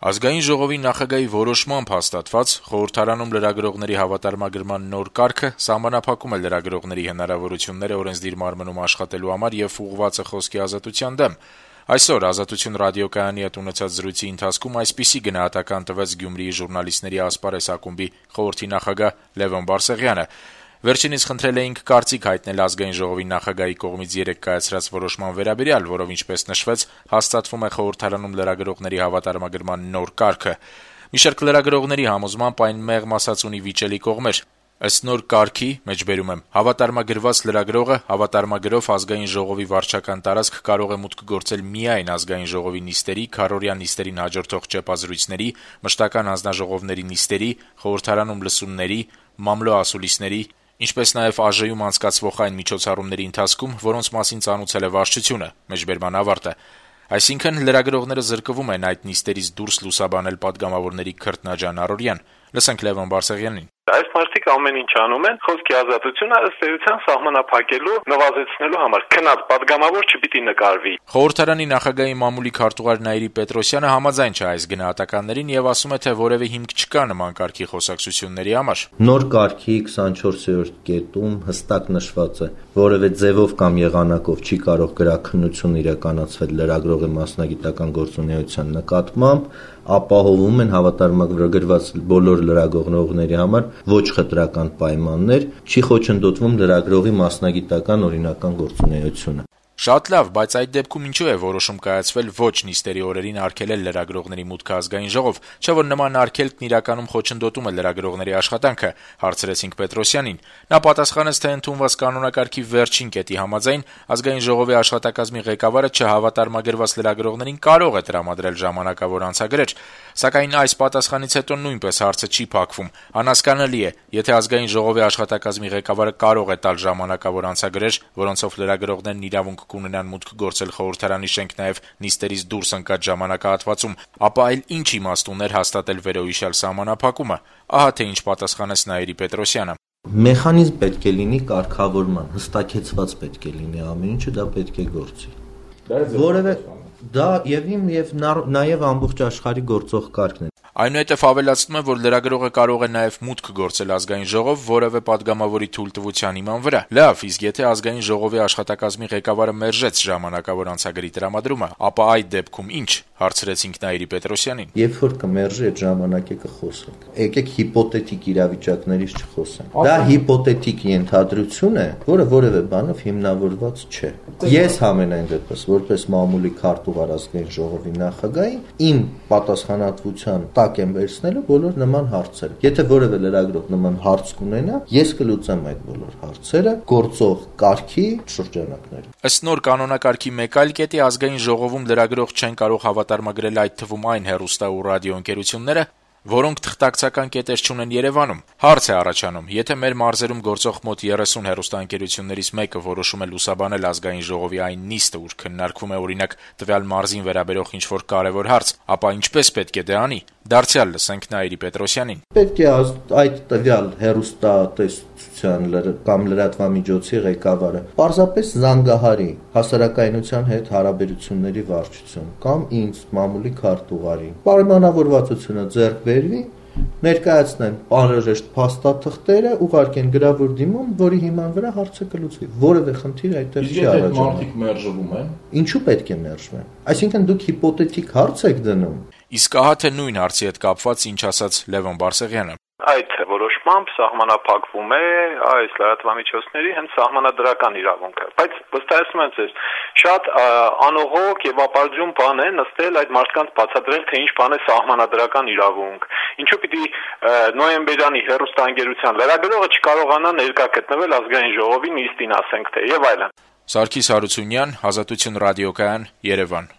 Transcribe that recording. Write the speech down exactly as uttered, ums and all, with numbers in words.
Ազգային ժողովի նախագահի որոշմամբ հաստատված խորհրդարանում լրագրողների հավատարմագրման նոր կարգը սահմանափակում է լրագրողների հնարավորությունները օրենսդիր մարմնում աշխատելու համար եւ ուղղված է խոսքի ազատության դեմ։ Այսօր «Ազատություն» ռադիոկայանի հետ ունեցած զրույցի ընթացքում այսպիսի գնահատական տվեց Գյումրիի ժուրնալիստների ասպարեզ ակումբի խորհրդի նախագահ Լևոն Բարսեղյանը։ Վերջինիս խնդրել էինք կարծիք հայտնել ազգային ժողովի նախագահի կողմից երեկ կայացրած որոշման վերաբերյալ, որով ինչպես նշվեց, հաստատվում է խորհրդարանում լրագրողների հավատարմագրման նոր կարգը։ Մի շարք լրագրողների համոզմամբ այն մեղմ ասած ունի վիճելի կողմեր։ Ըստ նոր կարգի, մեջբերում եմ, հավատարմագրված լրագրողը հավատարմագրով ազգային ժողովի վարչական տարածք կարող է մուտք գործել միայն ազգային ժողովի նիստերի, քառօրյա նիստերին հաջորդող ճեպազրույցների, մշտական հանձնաժողովների նիստերի, խորհրդարանում լսումների, մամլո ասուլիսների, ինչպես նաև ԱԺ-ում անցկացվող այն միջոցառումների ընթացքում, որոնց մասին ծանուցել է վարչությունը, մեջբերման ավարտը։ Այսինքն լրագրողները զրկվում են այդ նիստերից դուրս լուսաբանել падգամավորների քրտնաջան առօրյան։ Լսենք Լևոն Բարսեղյանին։ Այս մարդիկ ամեն ինչ անում են խոսքի ազատությունը ըստ էության սահմանափակելու, նվազեցնելու համար։ Քնած падգամավոր չպիտի նկարվի։ Խորհրդարանի նախագահի մամուլի քարտուղար Նաիրի Պետրոսյանը համաձայն չէ այս գնահատականներին եւ ասում է, թե որևէ հիմք չկա նման կարգի խոսակցությունների համար։ Նոր կարգի քսանչորսերորդ կետում հստակ նշված է, որևէ ձևով կամ եղանակով չի կարող գրաքննություն իրականացվել լրագրողի մասնագիտական գործունեության նկատմամբ, ապահովում են հավատարմագրված բոլոր լրագրողների համար ոչ խտրական պայմաններ, չի խոչընդոտվում լրագրողի մասնագիտական օրինական գործունեությունը։ Շատ լավ, բայց այդ դեպքում ինչու է որոշում կայացվել ոչ նիստերի օրերին արգելել լրագրողների մուտքը ազգային ժողով, չէ՞ որ նման արգելքն իրականում խոչընդոտում է լրագրողների աշխատանքը, հարցրեցինք Պետրոսյանին։ Նա պատասխանեց, թե ընդունված կանոնակարգի վերջին կետի համաձայն ազգային ժողովի աշխատակազմի ղեկավարը չհավատարմագրված լրագրողներին կարող է տրամադրել ժամանակավոր անցագրեր, սակայն այս պատասխանից հետո նույնպես հարցը չի փակվում։ Անհասկանալի է, եթե ազգային ժողովի աշխատակազմի ղեկավարը կարող է տալ ժամանակավոր անցագրեր, որոնցով լրագրողներն իրավունք կունենան մուտք գործել խորհրդարանի շենք նաև նիստերից դուրս ընկած ժամանակահատվածում, ապա այլ ինչ իմաստ ուներ հաստատել վերոհիշյալ սահմանափակումը։ Ահա թե ինչ պատասխանեց Նաիրի Պետրոսյանը։ Մեխանիզմ պետք է լինի կարգավորման, հստակեցված պետք է լինի ամեն ինչը, դա պետք է գործի։ Որևէ դա եւ իմ եւ նաեւ ամբողջ աշխարհի գործող կարգն է։ Այնուհետև ավելացնում է, որ լրագրողը կարող է նաև մուտք գործել ազգային ժողով որևէ падգամավորի թույլտվության հիման վրա։ Լավ, իսկ եթե ազգային ժողովի աշխատակազմի ղեկավարը մերժեց ժամանակավոր անցագրի տրամադրումը, ապա այդ դեպքում ինչ, հարցրեցինք Նաիրի Պետրոսյանին։ Երբ որ կմերժի այդ ժամանակը կխոսենք։ Եկեք հիպոթետիկ իրավիճակներից չխոսենք։ Դա հիպոթետիկ ենթադրություն է, որը որևէ բանով հիմնավորված չէ։ Ես համենայն դեպս, որպես մամուլի քարտուղար ազգային ժողովի նախագահի, իմ պատասխանատվության տակ եմ վերցնելու բոլոր նման հարցերը։ Եթե որևէ լրագրող նման հարց կունենա, ես կլուծեմ այդ բոլոր հարցերը գործող կարգի շրջանակներում։ Ըստ նոր կանոնակարգի մեկ այլ կետի ազգային ժողովում լրագրող չեն կարող հավատարմագրել այդ թվում այն հեռուստա ու ռադիոընկերությունները, որոնք թղթակցական կետեր չունեն Երևանում։ Հարց է առաջանում, եթե մեր մարզերում գործող մոտ երեսուն հեռուստաընկերություններից մեկը որոշում է լուսաբանել ազգային ժողովի այն նիստը, ուր քննարկվում է օրինակ տվյալ մարզին վերաբերող ինչ-որ կարևոր հարց, ապա ինչպես պետք է դա անի։ Դարձյալ լսենք Նաիրի Պետրոսյանին։ Պետք է այդ տվյալ հեռուստատեսության կամ լրատվամիջոցի ղեկավարը պարզապես զանգահարի հասարակայնության հետ հարաբերությունների վարչություն կամ ինձ մամուլի քարտուղարին։ Պայմանավորվածությունը ձեռք բերվի, ներկայացնեն անհրաժեշտ փաստաթղթերը, ուղարկեն գրավոր դիմում, որի հիման վրա հարցը կլուծվի։ Որևէ խնդիր այդտեղ չի առաջանում։ Իսկ եթե մարդիկ մերժվում են, ինչու պետք է մերժվեն։ Այսինքն դուք հիպոթետիկ հարց եք դնում։ Իսկ ահա թե նույն հարցի հետ կապված ինչ ասաց Լևոն Բարսեղյանը։ Այդ որոշմամբ սահմանափակվում է այս լրատվամիջոցների հենց սահմանադրական իրավունքը, բայց վստահեցնում եմ ձեզ, շատ անողոք եւ ապարդյուն բան է նստել այդ մարդկանց բացատրել, թե ինչ բան է սահմանադրական իրավունք, ինչու պիտի նոյեմբերյանի հեռուստաընկերության լրագրողը չկարողանա ներկա գտնվել ազգային ժողովի նիստին, ասենք թե, եւ այլն։ Սարգիս Հարությունյան, Ազատություն ռադիոկայան, Երևան։